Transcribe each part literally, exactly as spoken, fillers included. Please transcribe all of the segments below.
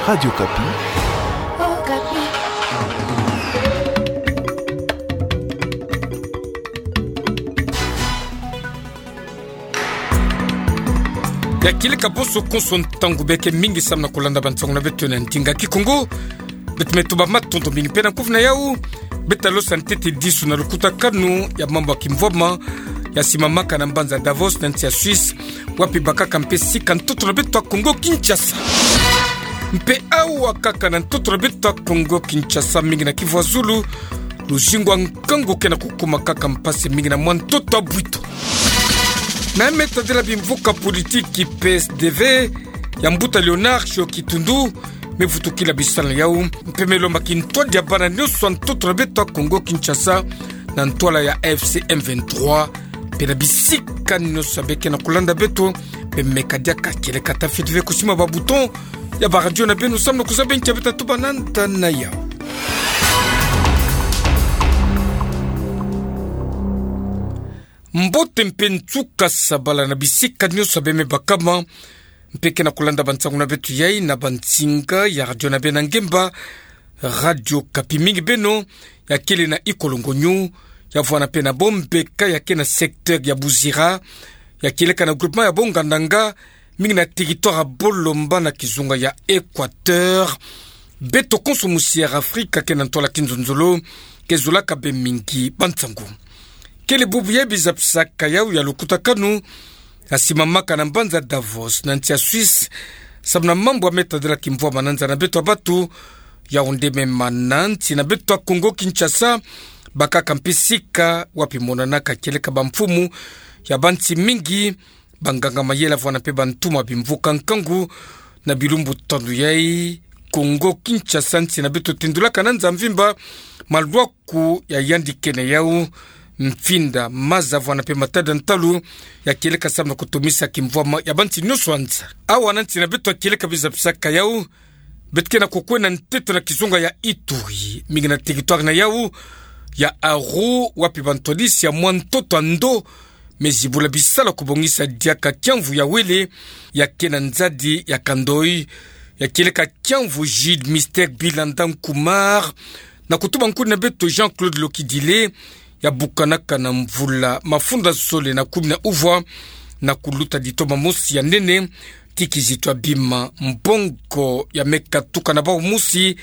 Radio Okapi. Ya kieleka bonso konso ntangu beke mingi samu na kulanda bansangu na beto na ndinga Kikongo. Beto me tuba matondo mingi mpe na kufi na yau. Beto talosa ntete disu na lukutakanu ya mambu ya kimvwama ya simamaka na mbanza Davos na nsi ya Suisse, wapi bakaka mpe sika ntoto na beto ya Kongo Kinshasa. Mpe awa kaka na ntoto na beto ya Kongo Kinshasa, mingi na kivu ya zulu, luzingu ya nkangu ke na kukuma kaka mpasi mingi na mwa ntoto ya bwito. Na me tadila bimvuka politiki P S D V ya mbuta Léonard Shiyo Kitundu, me vutukila bisalu na yau, mpe me lomba kintwadi ya bana nyonso ya ntoto na beto ya Kongo Kinshasa, na ntwala ya A F C M vingt-trois, mpe na bisika nyonso beke na kulanda beto, mpe meka diaka kieleka ta fioti ve kusima ba bouton ya ba radio na beno samu na kuzaba nki ya beto tatuba na nda na yau. Mbote mpe nsuka sabala na bisika nyonso beme bakama, mpe ke na kulanda bansangu na beto yai na bansinga ya radio na beno ya ngemba, Radio Okapi. Mingi beno ya kele na Ikolongonyo, ya vwanda mpe na Bombeka, ya ke na secteur ya Buzira, ya kieleka na groupement ya Bongandanga, mingi na territoire ya Bolomba na kizunga ya Equateur. Beto konso musi ya Afrika ke na ntwala kinzonzolo, ke zulaka bê mingi bansangu. Kele bubu ya bizapisaka yau ya lukutakanu ya simamaka na mbanza Davos na nsi ya Suisse, samu na mambu ya me tadila kimvwama na nza na beto ya batu, yau nde me mana nsi na beto ya Kongo Kinshasa, bakaka mpe sika wapi monanaka kieleka bamfumu ya bansi mingi, banganga mayele vwanda mpe bantu ma bimvuka nkangu, na bilumbu tanu yai, Kongo Kinshasa, nsi na beto tendulaka na nza mvimba malwaku ya yandikene yau, mfinda, maza vwanda mpe matada ntalu, ya kieleka samu na kutumisa kimvwama ya bansi nyonso ya nza. Awa na nsi na beto ya kieleka bizapisaka yau, beto ke na kukwenda ntete na kizunga ya Ituri, mingi na territoire na yau ya Aru, wapi bantwadisi ya mwa ntoto ya ndo me zibula bisalu ya kubongisa diaka kiamvu ya wele, ya ke na nzadi ya Kandoi, ya kieleka kiamvu Jude Mister Bilanda Nkumar, na kutuba nkuni na beto Jean-Claude Lokidile, ya bukanaka na mvula mafunda zole na kumi na uvwa, na kuluta ditoma mosi ya nene, ti kizitu ya bima mbongo ya me katuka na bau mosi,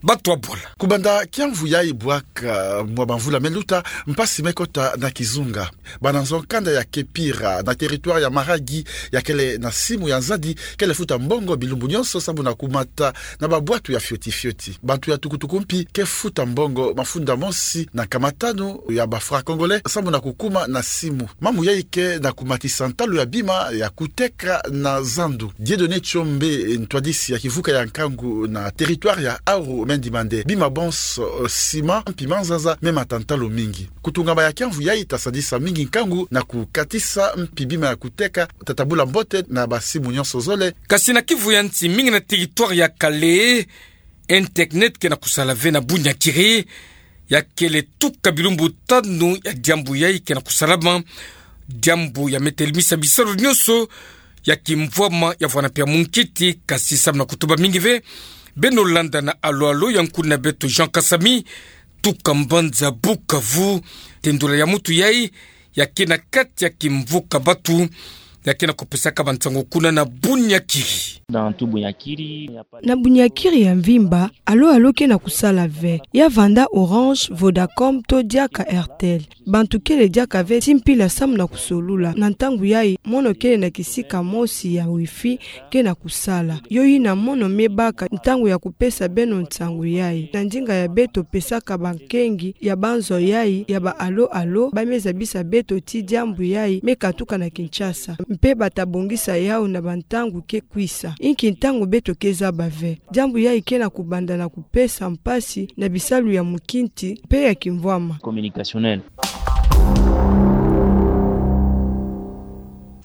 batu ya bola. Kubanda kiamvu yai bwaka mwa bamvula me luta, mpasi me kota na kizunga. Bana nzo-nkanda ya Kepira, na territoire ya Maragi, ya kele na simu ya nzadi, kele futa mbongo bilumbu nyonso samu na kumata na babwatu ya fioti fioti. Bantu ya tukutuku mpi ke futa mbongo mafunda mosi na nkama tanu ya ba francs congolais samu na kukuma na simu. Mambu yai ke na kumatisa ntalu ya bima ya kuteka na zandu. Dieudonné Tshombe, ntwadisi ya kivuka ya nkangu na territoire ya Aru, me ndima nde bima bonso, eh, ciment mpi manzanza me mata ntalu mingi. Kutungama ya kiamvu yai ta sadisa mingi nkangu na kukatisa mpi bima ya kuteka, ta tabula mbote na basimu nyonso zole. Kasi na kivu ya nsi, mingi na territoire ya Kalehe, internet ke na kusala ve na Bunyakiri, ya kele tuka bilumbu tanu ya diambu yai ke na kusalama, diambu ya me telemisa bisalu nyonso ya kimvwama ya vwanda mpe ya munkiti. Kasi samu na kutuba mingi ve, beno landa na alo-alo ya nkuni na beto Jean Kasami, tuka mbanza Bukavu, tendula ya mutu yai, ya ke na kati ya kimvuka batu, ya ke na kupesaka bansangu kuna na Bunyakiri. Dans tout Bunyakiri, il n'y a pas de... Na Bunyakiri ya mvimba, alo-alo ke na kusala ve. Ya vanda Orange, Vodacom, to diaka Airtel. Bantu kele diaka ve ti mpila samu na kusolula. Na ntangu yai, mono kele na kisika mosi ya wifi ke na kusala. Yo yina mono me baka ntangu ya kupesa beno nsangu yai. Na ndinga ya beto pesaka bankengi ya banzo yai ya ba alo-alo, ba me zabisa beto ti diambu yai me katuka na Kinshasa. Mpe ba ta bongisa yau na bantangu ke kwisa. Inki ntangu beto ke zaba ve. Diambu yai ke na kubanda na kupesa mpasi na bisalu ya munkiti mpe ya kimvwama. Communicationnel.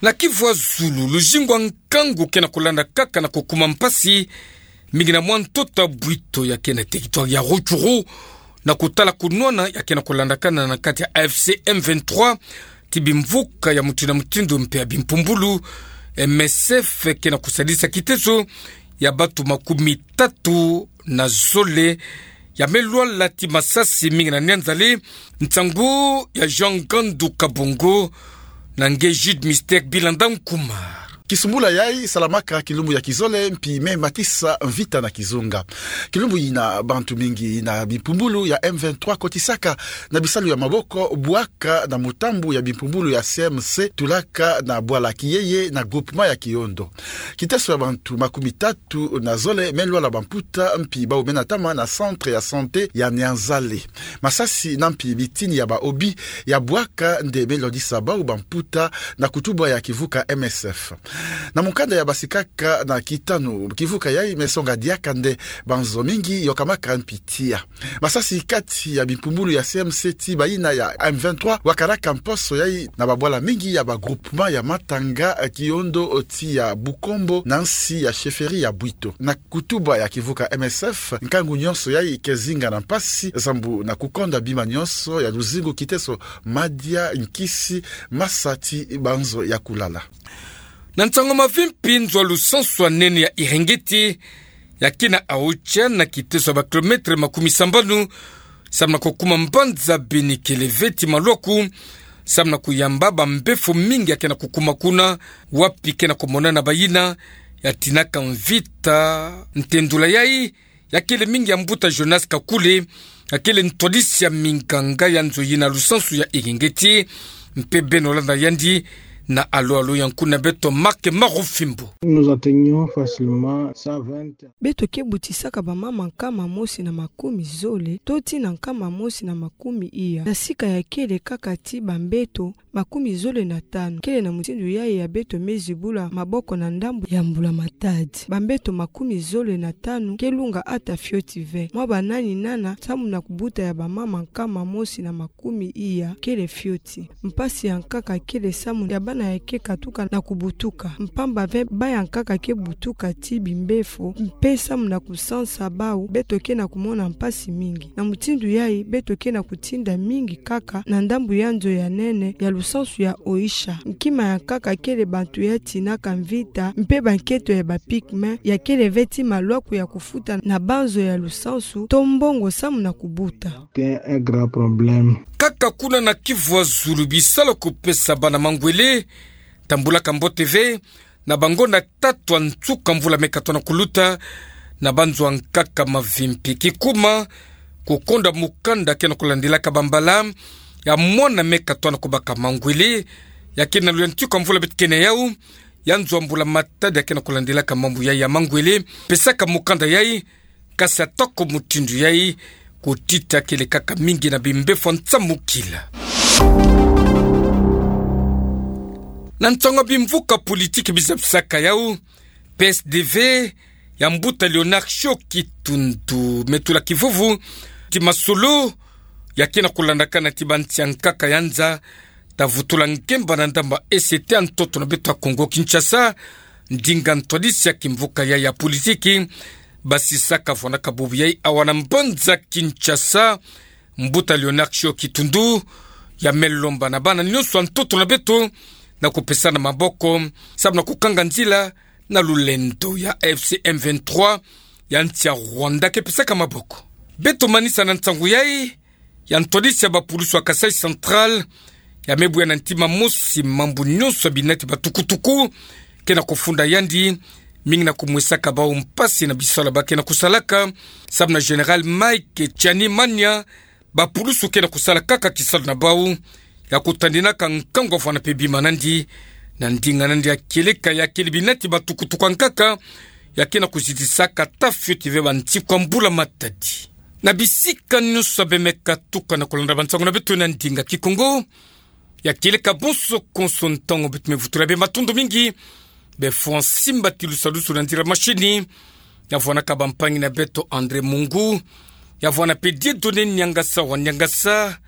Na kivu ya zulu, luzingu ya nkangu ke na kulanda kaka na kukuma mpasi, mingi na mwa ntoto ya bwito ya ke na territoire ya Rutshuru, na kutala kunwana ya ke na kulandakana na kati ya A F C M vingt-trois, ti bimvuka ya mutindu na mutindu mpe ya bimpumbulu, M S F ke na kusadisa kiteso ya batu makumi tatu na zole ya me lwala ti masasi mingi na Nianzale. Nsangu ya Jean Gandu Kabongo na nge Jude Mystère Bilanda Nkumar. Kisumbula yai salamaka kilumbu ya kizole mpi me matisa mvita na kizunga. Kilumbu yina bantu mingi na bimpumbulu ya M vingt-trois kotisaka na bisalu ya maboko bwaka na mutambu ya bimpumbulu ya C M C tulaka na bwala Kiyeye na groupement ya Kiondo. Kiteso ya bantu makumi tatu na zole me lwala bamputa mpi bau me natama na centre ya santé ya Nianzale. Masasi na mpi bitini ya baobi ya bwaka nde me lwalisa bau bamputa na kutuba ya kivuka M S F. Na mukanda ya basikaka na kitanu, kivuka yai me songa diaka nde banzo mingi yokamaka mpi tia. Masasi kati ya bimpumbulu ya C M C ti bayina ya M vingt-trois wakaraka mposo yai na babwala mingi ya bagroupement ya Matanga, Kiondo oti ya Bukombo na nsi ya chefferie ya Bwito. Na kutuba ya kivuka M S F, nkangu nyonso yai ke zinga na mpasi, zambu na kukonda bima nyonso ya luzingu, kiteso, madia, nkisi, masa ti banzo ya kulala. Na nsangu mavimpi, nzo a lusansu ya nene ya Iringiti, ya ke na Aocha na kiteso ya bakilometre makumi sambanu, samu na kukuma mbanza bini kele ve ti malwaku, samu na kuyamba bambefo mingi ya ke na kukuma kuna, wapi ke na kumonana bayina ya tinaka mvita. Ntendula yai ya kele mingi ya mbuta Jonas Kakule, ya kele ntwadisi ya minganga ya nzo yina lusansu ya Iringiti, mpe beno landa yandi na alo alo ya nkuna beto Marc Marufimbo. Nous atteignons facilement cent vingt. Beto ke butisaka bamama nkama mosi na makumi zole, to ti na nkama mosi na makumi iya, na sika ya kele kaka ti bambeto makumi zole na tanu. Kele na mutindu yai ya beto me zibula maboko na ndambu ya mbula matadi. Bambeto makumi zole na tanu ke lunga ata fioti ve. Mwa banani nana, samu na kubuta ya bamama nkama mosi na makumi iya kele fioti. Mpasi ya nkaka kele samu ya bana ya ke katuka na kubutuka. Mpamba ve baya nkaka ke butuka ti bimbefo, mpe samu na kusansa bau, beto ke na kumona mpasi mingi. Na mutindu yai, beto ke na kutinda mingi kaka na ndambu ya nzo ya nene ya lusansu ya Oicha. Nkima ya nkaka kele bantu ya tinaka mvita, mpe banketo ya ba pigments, ya kele ve ti malwaku ya kufuta na banzo ya lusansu, to mbongo samu na kubuta. C'est un grand problème. Kaka kuna na Kivu ya Zulu, bisalu ya kupesa bana mangwele tambulaka mbote ve, na bangonda tatu ya nsuka mvula me katoa na kuluta, na banzo ya nkaka mavimpi. Kikuma, kukonda mukanda ke na kulandilaka bambala ya mwana me katoa na kubaka mangwele, ya ke na lula nsuka mvula beto ke na yau, ya nzo ya mbula matadi ya ke na kulandilaka mambu yai ya mangwele, pesaka mukanda yai, kasi atako mutindu yai, kutita kele kaka mingi na bimbefo ya nsamukila. Na nsangu ya bimvuka politiki bizabisaka yau, P S D V ya mbuta Léonard Shiokhi Tundu me tula kivuvu ti masolo ya ke na kulandakana ti bansi ya nkaka ya nza, ta vutula ngemba na ndamba E C T ya ntoto na beto ya Kongo Kinshasa, ndinga ntwadisi ya kimvuka yai ya politiki basisaka. Vwanaka bubu yai awa na mbanza Kinshasa, mbuta Léonard Shiokhi Tundu ya me lomba na bana nyonso ya ntoto na beto na kupesana maboko, samu na kukanga nzila na lulendo ya A F C M vingt-trois ya nsi ya Rwanda ke pesaka maboko. Beto manisa na nsangu yai ya ntwadisi ya bapulusu ya Kasaï Central, ya me buya na ntima mosi mambu nyonso ya binati batukutuku ke na kufunda yandi, mingi na kumwesaka bau mpasi na bisalu ba ke na kusalaka, samu na Général Mike Tshiani Mania, bapulusu ke na kusala kaka kisalu na bau ya kutandinaka nkangu ya vwanda mpe bima nandi, na ndinga nandi ya kieleka ya kele binati batukutuku ya nkaka, ya ke na kuzitisaka ata fioti ve bansiku ya mbula matadi. Na bisika nyonso be me katuka na kulanda bansangu na beto na ndinga Kikongo, ya kieleka bonso konso ntangu beto me vutula be matondo mingi, be fundi ya simba ti lusalusu na nzila mashini, ya vwanaka bampangi na beto André Mungu, ya vwana mpe Dieudonné Niangasa wa Niangasa,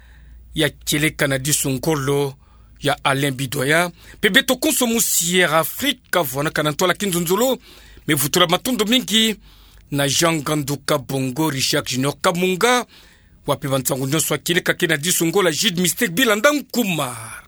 ya kieleka na disu ngolo ya Alain Bidoya, mpe beto konso musi Air Afrique, ya vwanaka na ntwala kinzonzolo, me vutula matondo mingi na Jean Ngandu Kabongo, Richard Junior Kamunga, wa mpe bansangu nyonso ya kieleka ke na disu ngolo ya Jude Mystère Bilanda Nkumar.